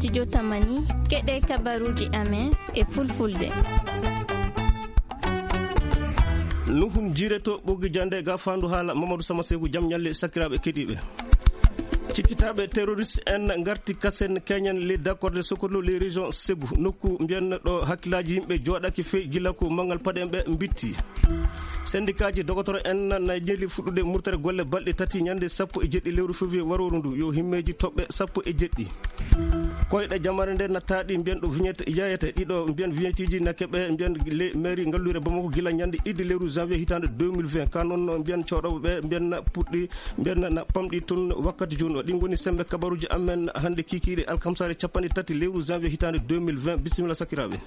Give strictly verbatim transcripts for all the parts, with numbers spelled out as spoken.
Studio Tamani, keɗe kabaruji amen e fulfulde. Nuhun jireto ɓogi jande ga fandu hala Mamadou Sama Segu, jam ñalle sakiraɓe keɗiɓe. Cikkitaɓe terroriste en garti kasen keñen les d'accord de Sokolo, les régions Segu, nokku mbiyan ɗo hakkillaji yimɓe joɗaki fe gila ko mangal paɗe ɓe mbitti. Sendikaji dogotoro en na ñeli fuɗɗude murtere golle balɗe tati ñande sappo e jeɗɗi lewru février waroru ndu yo himmeji toɓɓe sappo e jeɗɗi. Koyɗe jamare nde nattaɗi mbiyan ɗo vignette yayete ɗiɗo mbiyan vignettiji nakke ɓe mbiyan le mairie ngallure Bamako gila ñande idde lewru janvier hitande deux mille vingt. Ka noon mbiyan coɗoɓe ɓe mbiyan puɗɗi mbiyan na pamɗi toon wakkati joni o. Ɗin goni sembe kabaruji amen hande kikiɗe alkamsare capanɗe tati lewru janvier hitande deux mille vingt. Bisimilla sakiraɓe.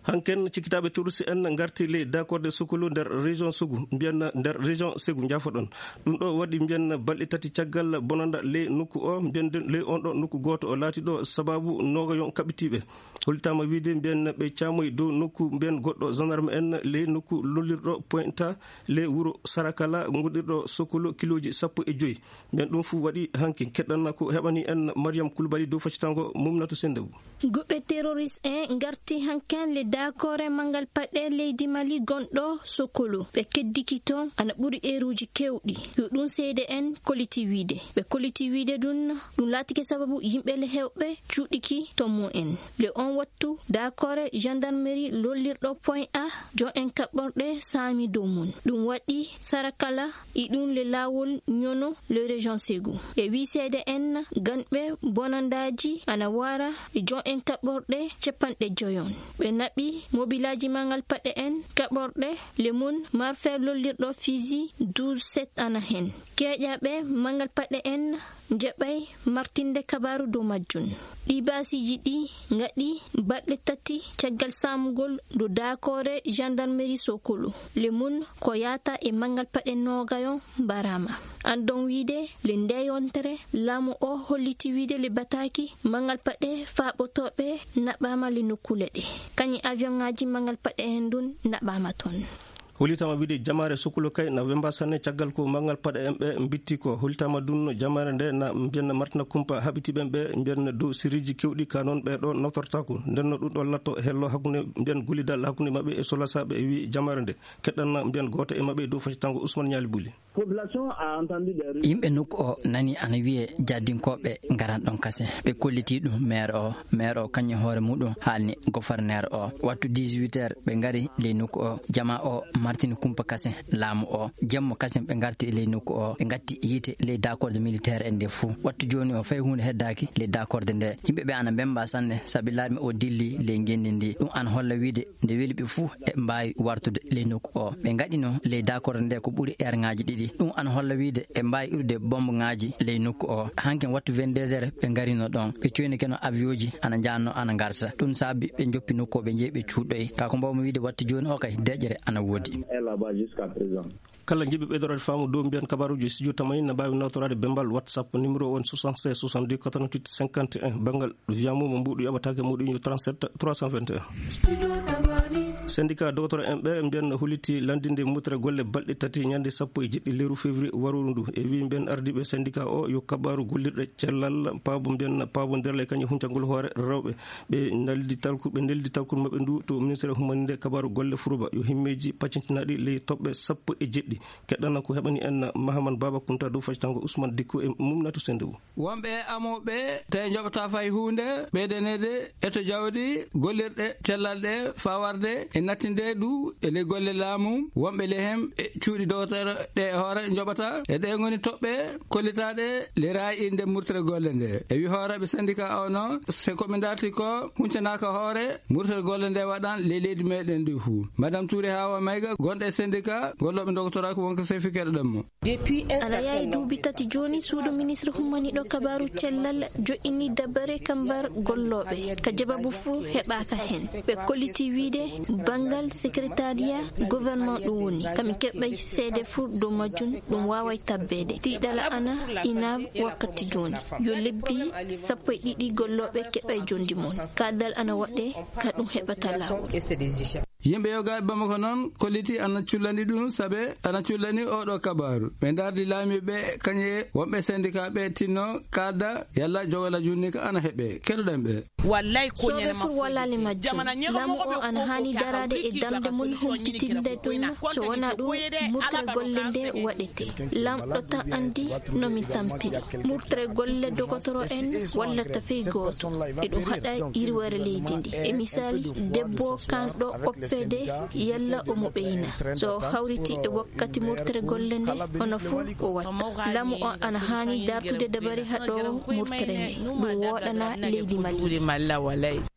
Hanken cikkitaɓe terroriste en garti ley d'accord de Sokolo nder région Sogu, mbiyan nder région Segu, jaafoɗon. Ɗum ɗo waɗi mbiyan balɗe tati caggal bonanda ley nokku o, mbiyan ley on ɗo nokku gooto o laati ɗo sababu noogayon kaɓitiiɓe. Hollitaama wiide mbiyan ɓe caamoyi dow nokku mbiyan goɗɗo gendarme en ley nokku lollirɗo Pointa ley wuro Sarakala ngonɗirɗo Sokolo kilooji sappo e joyi. Mbiyan ɗum fuu waɗi hanki. Keɗɗanna ko heɓani en Mariam Koulibaly dow faccitango Mumnatu Sendebu. Guɓe terroriste en ngarti hanken le dakore mangal paɗe leydi Mali gonɗo Sokolo. Ɓe keddiki toon ana ɓuri eeruuji keewɗi. Yo ɗum seede en koliti wiide. Ɓe koliti wiide ɗum, ɗum laatike sababu yimɓe le heewɓe cuuɗiki to mum en. Le on wattu dakore gendarmerie lollirɗo point A, jo en kaɓɓorɗe saami dow mum. Ɗum waɗi Sarakala e ɗum le laawol ñono le région Segu. E wii seede en ganɓe bonandaaji ana wara e jo en kaɓɓorɗe capanɗe joyon. Ɓe naɓi mobilaaji mangal paɗe en kaɓɓorɗe le mum marfe lollirɗo Fizi douze sept ana hen. Keeƴaɓe mangal paɗe en njaɓay martinde kabaaru dow majjum. Ɗi baasiiji ɗi ngaɗi balɗe tati caggal saamugol dow daakoore gendarmerie Sokolo. Le mum ko yaata e mangal paɗe noogayon mbaraama. Andon wiide le nde yontere laamu o holliti wiide le bataaki mangal paɗe faaɓotooɓe naɓaama le nokkuule ɗe. Kañi avion ŋaaji mangal paɗe en ɗum naɓaama toon. Hollitaama wiide jamaare Sokolo kay na wemba sanne caggal ko mangal paɗe en ɓe mbitti ko. Hollitaama ɗum jamaare nde na mbiyan martina kumpa haɓitiiɓe ɓe mbiyan dow siriji kewɗi ka noon ɓe ɗo naftortaako. Nden no ɗum ɗo latto hello hakkunde mbiyan gollidal hakkunde maɓɓe e solasaaɓe e wi jamaare nde. Keɗɗanna mbiyan gooto e maɓɓe dow faccitango Ousmane Ñaali Buli. Population a entendu des rumeurs. Yimɓe nokku o nani ana wiye jaddinkooɓe ngaran ɗon kasen. Ɓe kolliti ɗum maire o. Maire o kañum hoore muɗum haalni gouverneur o. Wattu dix-huit heures ɓe ngari ley nokku o. Jama o martini kumpa kasen laamu o. Jemmo kasen ɓe ngarti ley nokku o. Ɓe ngatti yiite ley dakorde militaire en nde fuu. Wattu jooni o fay huunde heddaaki ley dakorde nde. Yimɓe ɓe ana mbemba sanne sabi larme o dilli ley ngenndi ndi. Ɗum ana holla wiide nde weli ɓe fuu e mbaawi wartude ley nokku o. Ɓe ngaɗino ley dakorde nde ko ɓuri eerŋaaji ɗiɗi. Ɗum ana holla wiide ɓe mbaawi irude bombŋaaji ley nokku o. Hankin wattu vingt-deux heures ɓe ngarino ɗon. Ɓe coyni keno avion ji ana njaanno ana ngarta. Ɗum saabi ɓe njoppi nokku o ɓe njehi ɓe cuuɗoyi. Ka ko mbawmi wiide wattu jooni o kay deƴƴere ana woodi. Kala jiɗɗo ɓeydorade faamu dow mbiyan kabaruji studio Tamani na mbaawi nawtoraade bembal WhatsApp numéro on soixante-seize soixante-dix quatre-vingt-huit cinquante et un. Banngal wiyamu mo mbuɗu yoɓataake muɗum yo trente-sept trois cent vingt et un. Syndicat docteur en ɓe mbiyan no holliti lanndinde mutere golle balɗe tati ñande sappo e jeɗɗi lewru février waroru ndu. E wi mbiyan ardiiɓe syndicat o yo kabaru gollirɗe cellal paabo mbiyan paabo nder ley kañum huncangol hoore rewɓe. Ɓe naldi talku, ɓe neldi talkuru maɓɓe ndu to ministre humaninde kabaru golle furuba yo himmeji paccintinaɗi ley toɓɓe sappo e jeɗɗi. Keɗɗana ko heɓani en Mahaman Baba Kunta dow faccitango Ousmane Dikko e Mumnatu Sendewu. Wonɓe e amooɓe tawi njoɓata fay huunde, ɓeydaneede e to jawdi, gollirɗe cellal ɗe faa warde e nattinde ɗu e ley golle laamu. Wonɓe ley hem e cuuɗi dogotoro ɗe e hoore njoɓata. E ɗe ngoni toɓɓe kollitaaɗe le raay inde murtere golle nde. E wi hooreeɓe syndicat o no, se ko ɓe ndarti ko huncanaaka hoore, murtere golle nde waɗan ley leydi meɗen ndi fuu. Madame Touré Hawa Mayga, gonɗo e syndicat gollooɓe ndogotoraaki wonko sefi keɗoɗen mo. Depuis un Ana certain yahi nombre duubi tati jooni, suudu ministre hummaniiɗo kabaaru cellal joƴƴini dabare kambar gollooɓe, ka jababu fuu heɓaaka heen. Ɓe kolliti wiide banngal secrétariat gouvernement ɗum woni, kami keɓɓay seede fuu dow majjum, ɗum waaway tabbeede. Tiiɗala ana inaab wakkati jooni. Yo lebbi sappo e ɗiɗi gollooɓe keɓɓay jonndi mum. Kaadal ana waɗee ka ɗum heɓata laawol. Yimɓe yogaaɓe Bamako noon kollitii ana cullani ɗum, sabe ana cullani oo ɗoo kabaaru. Ɓe ndardi laamiiɓe ɓe, kañe wonɓe syndicat ɓe tinno kaalda yalla jogola junni ka ana heɓe. Keɗoɗen ɓe. Wallay ko Sooɓe ñande fur mafruude. Wallali majjum. Lamu o ana haani daraade e darnde mum humpitinde ɗum. So wonaa ɗum, murtere golle nde waɗete. Lamɗo tan anndi no min tampiri. Murtere golle dogotoro en wallata fey gooto. Eɗum haɗa yirwere leydi ndi. E misaali, debbo kanɗo oppede yalla omo ɓeyna. So hawriti e wakkati murtere golle nde, hono fuu o watta. Lamu o ana haani dartude dabari haɗoowo murtere nde. Ɗum wooɗana leydi Mali.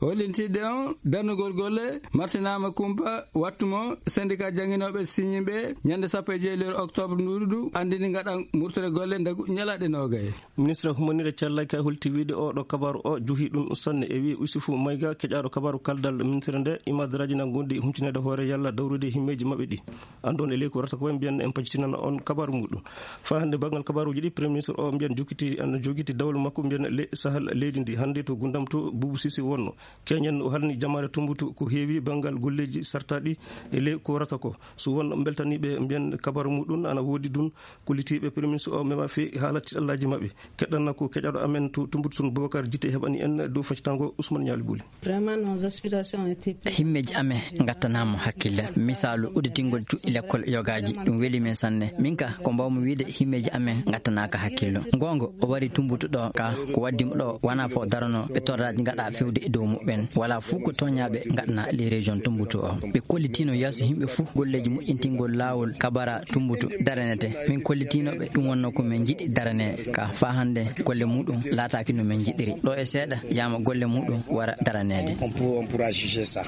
Hollintidde on darnugol golle martinaama kumpa wattu mo syndicat jannginooɓe siñiiɓe ñande sappo e jeeɗiɗi lewru octobre nduuɗu ndu anndini ngaɗa murtere golle ndagu ñalaaɗe noogay. Ministre humanire cellal kay holti wiide o ɗo kabaru o juhi ɗum sanne e wi Usufu Mayga keƴaɗo kabaru kaldal ministre nde imadraji na gondi huntinede hoore yalla dawrude himmeji maɓɓe ɗi. Andon e leydi ko rata ko mbiyen en pacitinana on kabaru muɗum. Fa hande bangal kabaruji ɗi premier ministre o mbiyen jokiti an jogiti dawol makko mbiyen le sahal leydi ndi hande to gundam to bubu sisi wonno. Keñen o halni jamaare Tumbutu ko heewi banngal golleeji sartaaɗi e ley ko warata ko. So won beltaniiɓe mbiyen kabaru muɗum ana woodi ɗum kollitiiɓe Premier Ministre o mema fii haala tiɗallaaji maɓɓe. Keɗɗanna ko keƴaɗo amen to Tumbutu tun Boubacar Jite heɓani en dow faccatango Ousmane Ñaali Buli. Vraiment, nos aspirations ont été prises. Himmeeji amen ngattanaama hakkille. Misaalu, udditingol cuɗɗi lekkol yogaaji, ɗum weli men sanne. Min ka, ko mbawmi wiide, himmeeji amen ngattanaaka hakkillo. Ngoonga, o wari Tumbutu ɗo ka, ko waddi mo ɗo, wona fof darano, ɓe torraji ngaɗa fewde e dow muɓɓen. Wala fof ko toñaɓe ngaɗana les régions Tumbutu o. Ɓe kollitino yeeso yimɓe fof golleji moƴƴintingol laawol kabara Tumbutu daranete. Min kollitinoɓe ɗum wonno ko min jiɗi darane ka fa hande golle muɗum laataki no min jiɗiri. Ɗo e seeɗa yama golle muɗum wara daranede. On peut, on pourra juger ça.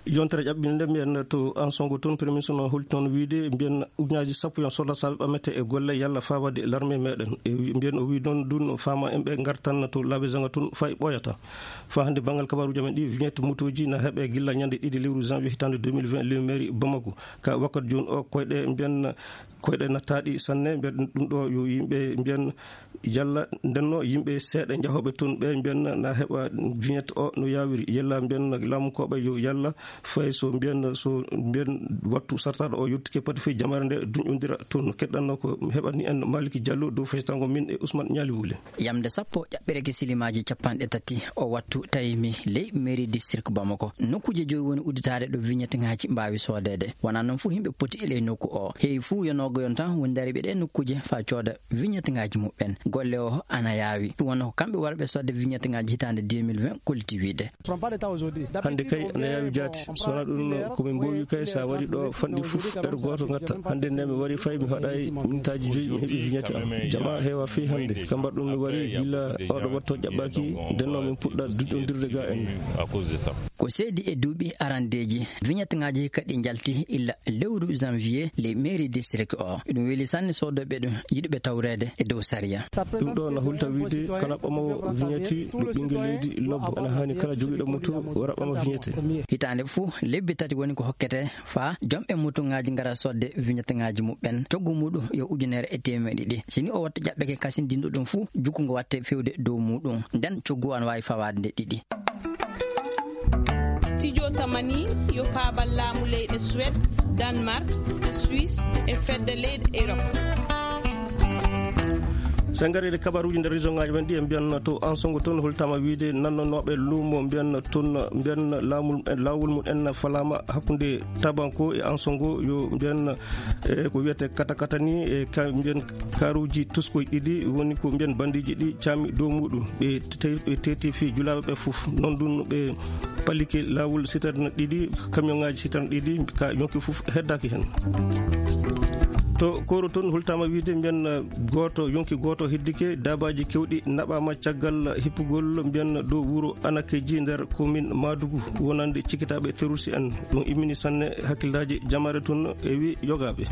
Yontere ƴaɓɓinde mbiyen to Ansongo toon, Premier Ministre no holti noon wiide mbiyen ujunaaji sappo yon soldat saɓe ɓamete e golle yalla fawade l'armée meɗen. E wi-, mbiyen o wi noon ɗum no fama en ɓe gartan to laabi zanga toon fay ɓooyata. Fa hande banngal kabaruji amen ɗi, vignette motoji na heɓe gilla ñande ɗiɗi lewru janvier hitande deux mille vingt, lewru mairie Bamako. Ka wakkati jooni o koyɗe mbiyen koyɗe nattaaɗi sanne, mbiyen ɗum ɗo yo yimɓe mbiyen yalla ndenno yimɓe seeɗa jahooɓe toon ɓe mbiyen na heɓa vignette o no yawiri. Yalla mbiyen laamu koɓe yo yalla fay so mbiyen, so mbiyen wattu sartaɗo o yottike pati fii jamaare nde duñƴondira toon. Keɗɗanno ko heɓani en Maliki Diallo dow feccitango min e Ousmane Ñaali Wule. Yamde sappo ƴaɓɓireke silimaaji capanɗe tati o wattu tawi mi ley mairie district Bamako. Nokkuuje joyi woni udditaade ɗo vignette ŋaaji mbaawi soodeede. Wonaa noon fof yimɓe poti e ley nokku o. Heewi fof yo noogo yon tan woni dariiɓe ɗe nokkuuje faa cooda vignette ŋaaji muɓɓen. Golle o ana yaawi. Ɗum wonno ko kamɓe warɓe sodde vignette ŋaaji hitaande deux mille vingt kolliti wiide. Hannde kay ana yaawi jaati. So wonaa ɗum ko min mboowi kay so a wari ɗo fanɗi fof heure gooto ngatta. Hannde nde mi wari fay mi haɗaay mintaaji joyi mi heɓi vignette am. Jama heewa fii hannde. Ka mbaɗɗum mi wari gila oɗo watto ƴaɓɓaaki ndenno min puɗɗa duƴƴondirde ga en. Ko seedi e duuɓi arandeeji, vignette ŋaaji kadi njalti illa lewru janvier ley mairie district o. Ɗum weli sanne soodooɓe ɗum yiɗuɓe tawreede e dow sariya. Ɗum ɗo na hulta wiide kala ɓamowo vignette ɗo ɓinngel leydi lobbo ana haani kala jogiiɗo moto wara ɓama vignette. Hitaande fof lebbi tati woni ko hokkete faa jom e moto ŋaaji ngara sodde vignette ŋaaji muɓɓen. Coggu muɗum yo ujunere e teemeɗe ɗiɗi. Si ni o watta ƴaɓɓeke kasindinɗo ɗum fof, jukku ngo watte fewde dow muɗum. Nden coggu an waawi fawaade nde ɗiɗi. Studio Tamani yo paabal laamu leyɗe Suède, Danemark, Suisse e fedde leyɗe Europe. So en ngarii e kabaruuji nder région ŋaaji men ɗi, en mbiyan to Ansongo toon, holtama wiide nannonooɓe luumo mbiyan toon, mbiyan laamul, laawol mum en falaama hakkunde Tabanko e Ansongo, yo mbiyan, e ko wiyete kata kata ni, e ka mbiyan karuuji toskoy ɗiɗi woni ko mbiyan bandiiji ɗi caami dow muɗum. Ɓe te-, ɓe teeti fii julaaɓe ɓe fof. Noon ɗum ɓe palike laawol citerne ɗiɗi, camion ŋaaji citerne ɗiɗi, ka yonki fof heddaaki heen. To Koro toon, hultaama wiide mbiyan gooto, yonki gooto heddike, daabaaji keewɗi naɓaama caggal hippugol mbiyan dow wuro Anakeji nder commune Madugu, wonande cikitaaɓe terroriste en. Ɗum immini sanne hakkillaaji jamaare toon e wi yogaaɓe.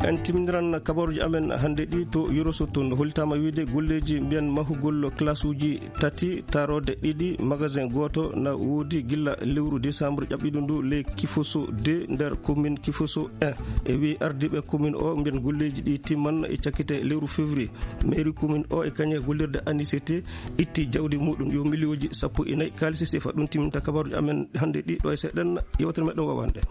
En timmindiran kabaruuji amen hannde ɗi to Yoroso, toon hollitaama wiyde golleeji mbiyen mahugol classe uji tati, taarooɗe ɗiɗi, magasin gooto na woodi gilla lewru décembre ƴaɓɓiiɗo ndu, ley Kifoso deux nder commune Kifoso un. E wii ardiiɓe commune o mbiyen golleeji ɗi timman e cakkite lewru février. Mairie commune o e kañe gollirde A N I C T itti jawdi muɗum yo miliyooji sappo e nayi kaalisi sefa. Ɗum timminta kabaruuji amen hannde ɗi ɗo e seeɗen yewtere meɗen wawande.